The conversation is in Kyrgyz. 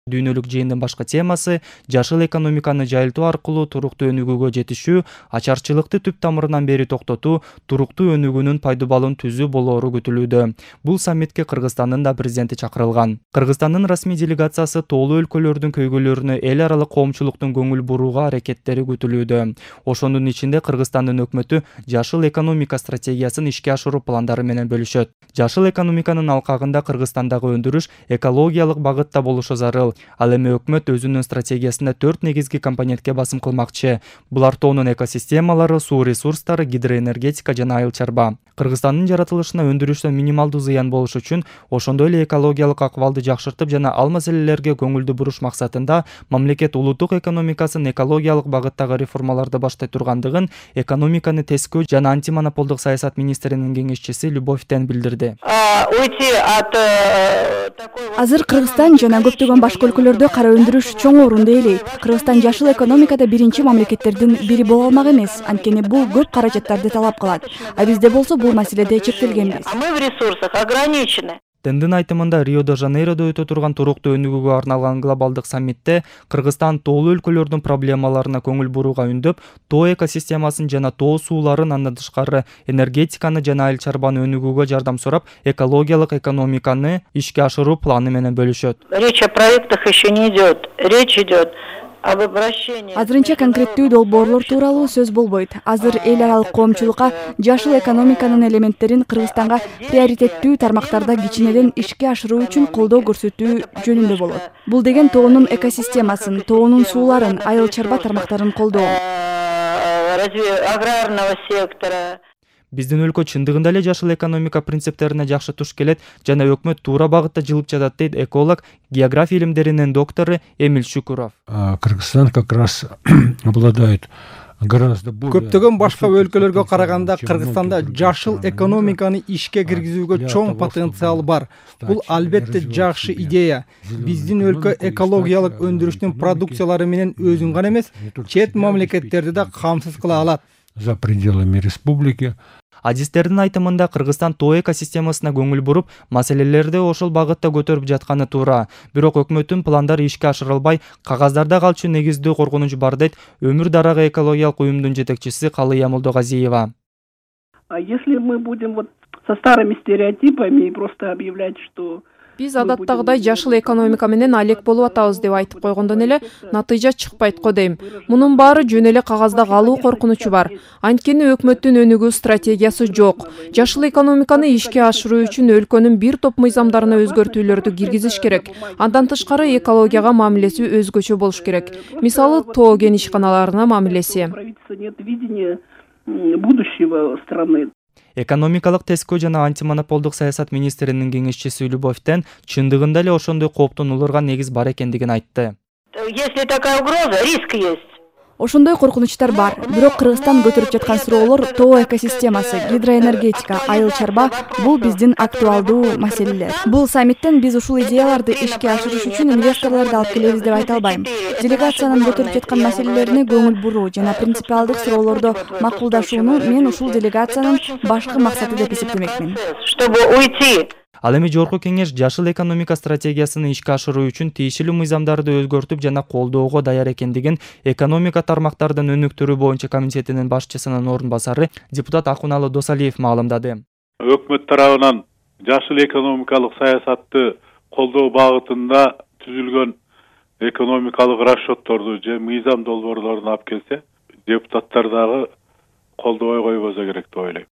Дүйнөлүк жыйындын башкы темасы жашыл экономиканы жайылтуу аркылуу туруктуу өнүгүүгө жетишүү, ачарчылыкты түп тамырынан бери токтотуу, туруктуу өнүгүүнүн пайдубалын түзүү болоору күтүлүүдө. Бул саммитке Кыргызстандын да президенти чакырылган. Кыргызстандын расмий делегациясы тоолуу өлкөлөрдүн көйгөйлөрүнө эл аралык коомчулуктун көңүл бурууга аракеттери күтүлүүдө. Ошонун ичинде Кыргызстандын өкмөтү жашыл экономика стратегиясын ишке ашыруу пландары менен бөлүшөт. Жашыл экономиканын алкагында Кыргызстандагы өндүрүш экологиялык багытта болушу зарыл. Ал эми өкмөт өзүнүн стратегиясында 4 негизги компонентке басым кылмакчы. Булар тоонун экосистемалары, суу ресурстары, гидроэнергетика жана айыл чарба. Кыргызстандын жаратылышына өндүрүштөн минималдуу зыян болуш үчүн, ошондой эле экологиялык акыбалды жакшыртып жана ал маселелерге көңүлдү буруш максатында мамлекет улуттук экономикасын экологиялык багыттагы реформаларды баштай тургандыгын экономиканы тескөө жана антимонополдук саясат министринин кеңешчиси Любовь Тен билдирди. Азыр Кыргызстан жана көптөгөн башка өлкөлөрдө кара өндүрүш чоң орунду ээлейт. Кыргызстан жашыл экономикада биринчи мамлекеттердин бири боло алмак эмес, анткени бул көп каражаттарды талап кылат. А бизде болсо бул маселеде чектелгенбиз. А мы в ресурсах ограничены. Тендин айтымында Рио-де-Жанейродо өтө турган туруктуу өнүгүүгө арналган глобалдык саммитте Кыргызстан тоолуу өлкөлөрдүн проблемаларына көңүл бурууга үндөп, тоо экосистемасын жана тоо сууларын, андан тышкары энергетиканы жана айыл чарбаны өнүгүүгө жардам сурап, экологиялык экономиканы ишке ашыруу планы менен бөлүшөт. Речь о проектах еще не идет. Речь идет об обращении. Азырынча конкреттүү долбоорлор тууралуу сөз болбойт. Азыр эл аралык коомчулукка жашыл экономиканын элементтерин Кыргызстанга приоритеттүү тармактарда кичинеден ишке ашыруу үчүн колдоо көрсөтүү жөнүндө болот. Бул деген тоонун экосистемасын, тоонун сууларын, айыл чарба тармактарын колдоо. Развитие аграрного сектора. Биздин өлкө чындыгында эле жашыл экономика принциптерине жакшы туш келет жана өкмөт туура багытта жылып жатат, дейт эколог, география илимдеринин доктору Эмиль Шукуров. Кыргызстан как раз обладает гораздо более... Көптөгөн башка өлкөлөргө караганда Кыргызстанда жашыл экономиканы ишке киргизүүгө чоң потенциал бар. Бул албетте жакшы идея. Биздин өлкө экологиялык өндүрүштүн продукциялары менен өзүн гана эмес, чет мамлекеттерди да камсыз кыла алат. За пределами республики. Адистердин айтымында Кыргызстан тоо экосистемасына көңүл буруп, маселелерди ошол багытта көтөрүп жатканы туура. Бирок өкмөттүн пландары ишке ашырылбай, кагаздарда калчу негиздүү коркунуч бар, дейт Өмүр дарагы экологиялык уюмдун жетекчиси Калыя Молдогазиева. Если мы будем вот со старыми стереотипами и просто объявлять, что биз адаттагыдай жашыл экономика менен алек болуп атабыз деп айтып койгондон эле натыйжа чыкпайт го дейм. Мунун баары жөн эле кагазда калуу коркунучу бар. Анткени өкмөттүн өнүгүү стратегиясы жок. Жашыл экономиканы ишке ашыруу үчүн өлкөнүн бир топ мыйзамдарына өзгөртүүлөрдү киргизиш керек. Андан тышкары экологияга мамилеси өзгөчө болуш керек. Мисалы, тоо кен ишканаларына мамилеси. Нет видения будущего страны. Экономикалык тескөө жана антимонополдук саясат министринин кеңешчиси Любовь Тен чындыгында эле ошондой кооптун улурган негиз бар экендигин айтты. Если такая угроза, риск есть. Ошондой коркунучтар бар. Бирок Кыргызстан көтөрүп жаткан суроолор тоо экосистемасы, гидроэнергетика, айыл чарба бул биздин актуалдуу маселелер. Бул саммиттен биз ушул идеяларды ишке ашырыш үчүн инвесторлорду алып келебиз деп айта албайм. Делегациянын көтөрүп жаткан маселелерине көңүл буруу жана принципиалдык суроолорду макулдашууну мен ушул делегациянын башкы максаты деп эсептемекмин. Чтобы уйти. Ал эми жогорку кеңеш жашыл экономика стратегиясын ишке ашыруу үчүн тиешелүү мыйзамдарды өзгөртүп жана колдоого даяр экендигин экономика тармактардын өнүктүрүү боюнча комитетинин башчысынын орун басары депутат Акуналы Досалиев маалымдады. Өкмөт тарабынан жашыл экономикалык саясатты колдоо багытында түзүлгөн экономикалык расчетторду же мыйзам долбоорлорун алып келсе, депутаттар дагы колдобой койбосо керек деп ойлойм.